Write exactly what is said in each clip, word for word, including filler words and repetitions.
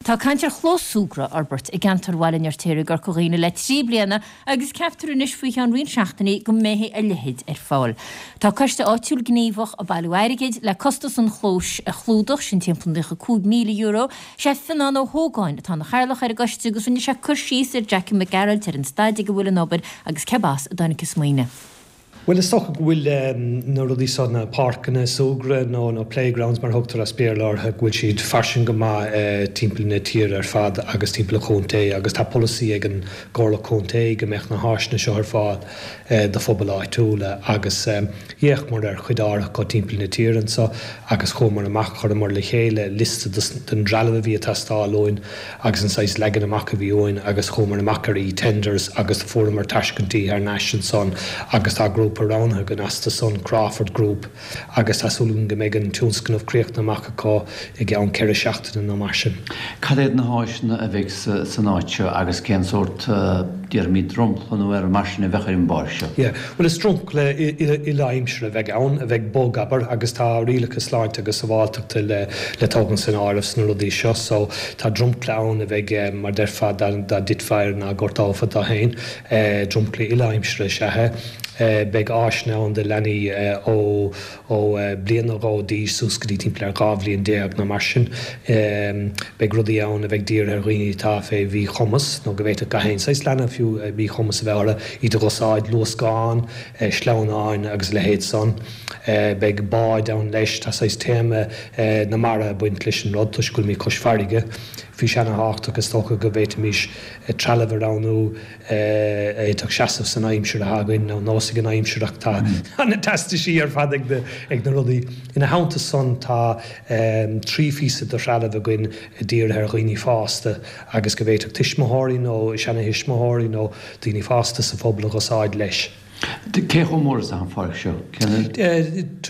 Tá caint ar chlós súgartha a fhorbairt i gceantar Bhaile an Fheirtéaraigh i gCorca Dhuibhne le trí bliana agus ceaptar anois faoi cheann roinnt seachtainí go mbeidh a leithéid ar fáil. Tá coiste áitiúil gníomhach ag bailiú airgid le costas an chlóis a chlúdach sin timpeall naocha cúig míle euro. Sé Fionnán Ó hÓgáin atá ina chathaoirleach ar an gcoiste agus rinne sé cur síos ar Jackie Mac Gearailt ar an staid ag a bhfuil an obair agus cé as a dtáinig an smaoineamh. Well is dócha go bhfuil um, na rudaí seo na páirceanna súgartha nó nó playgrounds mar thugtar as Béarla orthu go bhfuil siad fairsing go maith uh, timpeall na tíre ar fad agus timpeall an chontae agus tá polasaí ag an gComhairle Contae go mbeadh na háiseanna seo ar fáil uh, do phobal áitiúla agus um, d'fhéachamar ar chuid áirithe go timpeall na tíre anseo agus chuamar amach chuireamar le chéile liosta den trealamh a bhí ag teastáil uainn agus an saghas leagan amach a bhí uainn agus chuamar amach ar e-tenders agus fuaireamar tairiscintí thar n-ais ansan agus tá grúpa roghnaithe againn astu san Crawford Group agus tá súil go mbeidh an tionscnamh críochnaithe amach acu i gceann ceithre seachtaine nó mar sin. Cad iad na háiseanna a bheidh san áit seo agus cén sórt déarfaimid dromchla nó ar mar sin a bheadh ar an bpáirc seo. Yeah. Well is dromchla uile-aimsire a bheidh ann a bheidh bog abair agus tá rialacha sláinte agus sábháilteachta le le tógaint san áireamh sna rudaí seo, so tá dromchla ann a bheidh mar déarfá dá dtitfeá air ná gortófá tú féin, dromchla uile-aimsire is ea é. Beidh áiseanna ann do leanaí ó ó bliain nó dhó d'aois suas go dtí timpeall ar dhá bhliain déag nó mar sin. Beidh rudaí ann a bheidh dírithe ar dhaoine atá fé mhíchumas nó go bhféadfadh gach aon saghas leanbh fiú míchumas a bheith orthu, iad a dh'úsáid, luascáin, sleamhnáin agus a leithéid san. Beidh báid ann leis, tá saghas téama na mara ag baint leis an rud toisc go bhfuilimid cois farraige. Bhí sé ana-thábhachtach is dócha go bhféadfaimis trealamh a roghnú a fhéadfadh seasamh san aimsir atá againn nó nós ag an aimsir ach tá na teastaisí ar fad ag na ag na rudaí. Ina theannta san tá trí phíosa de threalamh againn dírithe ar dhaoine fásta agus go bhféadfadh tuismitheoirí nó seana-thuismitheoirí nó daoine fásta sa phobal a dh'úsáid leis. Cé chomh mór is atá an pháirc seo?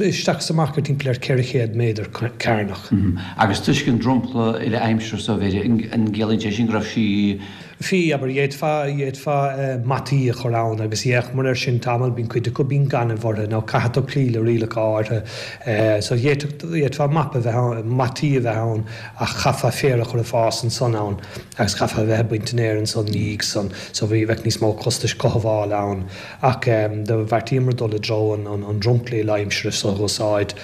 Isteach is amach ar timpeall ar ceithre chéad méadar cearnach. Agus toisc an dromchla uile-aimsire so, b'fhéidir, an gciallaíonn sé sin go raibh sí. Bhí, abair, d'fhéadfá, d'fhéadfá mataí a chur ann agus d'fhéachamar air sin tamall, bíonn cuid acu, bíonn gaineamh orthu nó caithfidh tú cloí le rialacha áirithe. So d'fhéadfadh, d'fhéadfá mapa a bheith ann, mataí a bheith ann ach chaithfeá féar a chur ag fás ansan ann agus chaithfeá a bheith ag baint an fhéir ansan ina dhiaidh san so bhí, bheadh níos mó costais cothabhála ann. Ach do bheartaíomar dul i dtreo an dromchla uile-aimsire so a dh'úsáid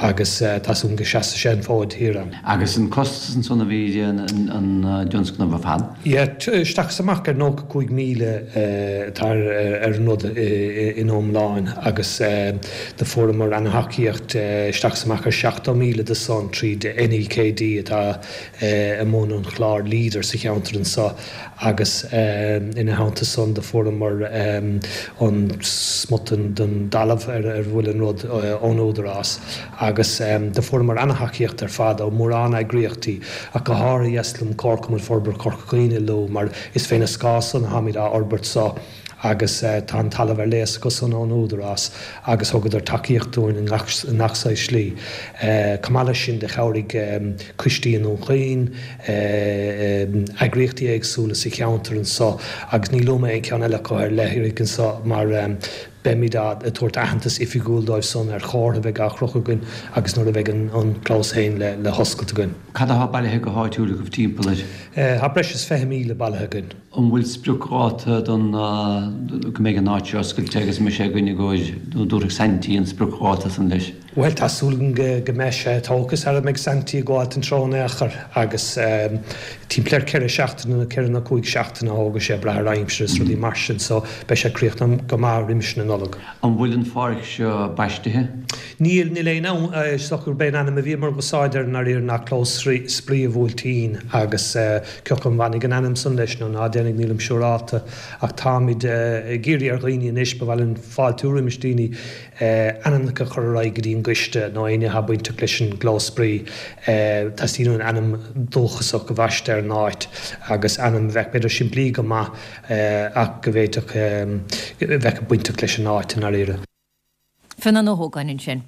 agus tá súil go seasfaidh sé an fód thiar ann. Agus an costas ansan a bhí ar an dtionscnamh ar fad? Yeah, isteach is amach ar nócha cúig míle atá ar an rud ina iomláin agus do fuaireamar ana-thacaíocht isteach is amach ar seachtó míle de san tríd NEKD atá i mbun an chláir Leader sa cheantar anso agus ina theannta san do fuaireamar an smut den dtalamh ar a bhfuil an rud ón Údarás agus do fuaireamar ana-thacaíocht ar fad ó mórán eagraíochtaí ach go háirithe dheas liom Comharchumann Forbartha Chorca Dhuibhne a lua mar is féna scáth san atáimid á fhorbairt so agus tá an talamh ar léas acu-san ón Údarás agus thugadar tacaíocht dúinn i ngach saghas slí. Chomh maith leis sin do chabhraigh coistí i nDún Chaoin, eagraíochtaí éagsúla sa cheantar anso agus ní luafaidh mé aon cheann eile acu ar leith anso mar beimid ag tabhairt aitheantas oifigiúil dóibh san ar chomhartha a bheidh á chrochadh againn agus nuair a bheidh an clós féin le hoscailt againn. Cad atá bailithe go háitiúil agaibh timpeall air? Tá breis is fiche míle bailithe againn. An bhfuil spriocdháta don go mbeidh an áit seo oscailte agus an mbeidh sé againn i gcomhair nó an dtabharfaidh Saintí an spriocdháta san leis? Bhuel, tá súil agam go mbeidh sé tógtha sara mbeidh Saintí ag gabháilt an treo in aon chor agus timpeall ar ceithre seachtaine nó ceithre nó cúig seachtaine a thógfaidh sé ag brath ar aimsir is rudaí mar sin so beidh sé críochnaithe go maith roimis na Nollag. An bhfuil an pháirc seo baistithe? Níl, níl aon ann, is dócha gurb é an ainm a bhíomar ag úsáid air i ndáiríre ná Clós Spraoi an Bhuailtín agus cé acu an mbainfidh an ainm san leis nó ná déanfaidh nílim siúrálta ach táimid ag iarraidh ar dhaoine anois, ba mhaith linn fáiltiú roimis daoine ainmneacha a chur ar aghaidh go dtí an gcoiste nó éinne atá bainteach leis an gclós spraoi. Teastaíonn uainn ainm dúchasach a bhaisteadh ar an áit agus ainm a bheadh b'fhéidir simplí go maith ach go bhféadfadh a bheadh bainteach leis an áit i ndáiríre. Fionnán Ó hÓgáin ansin.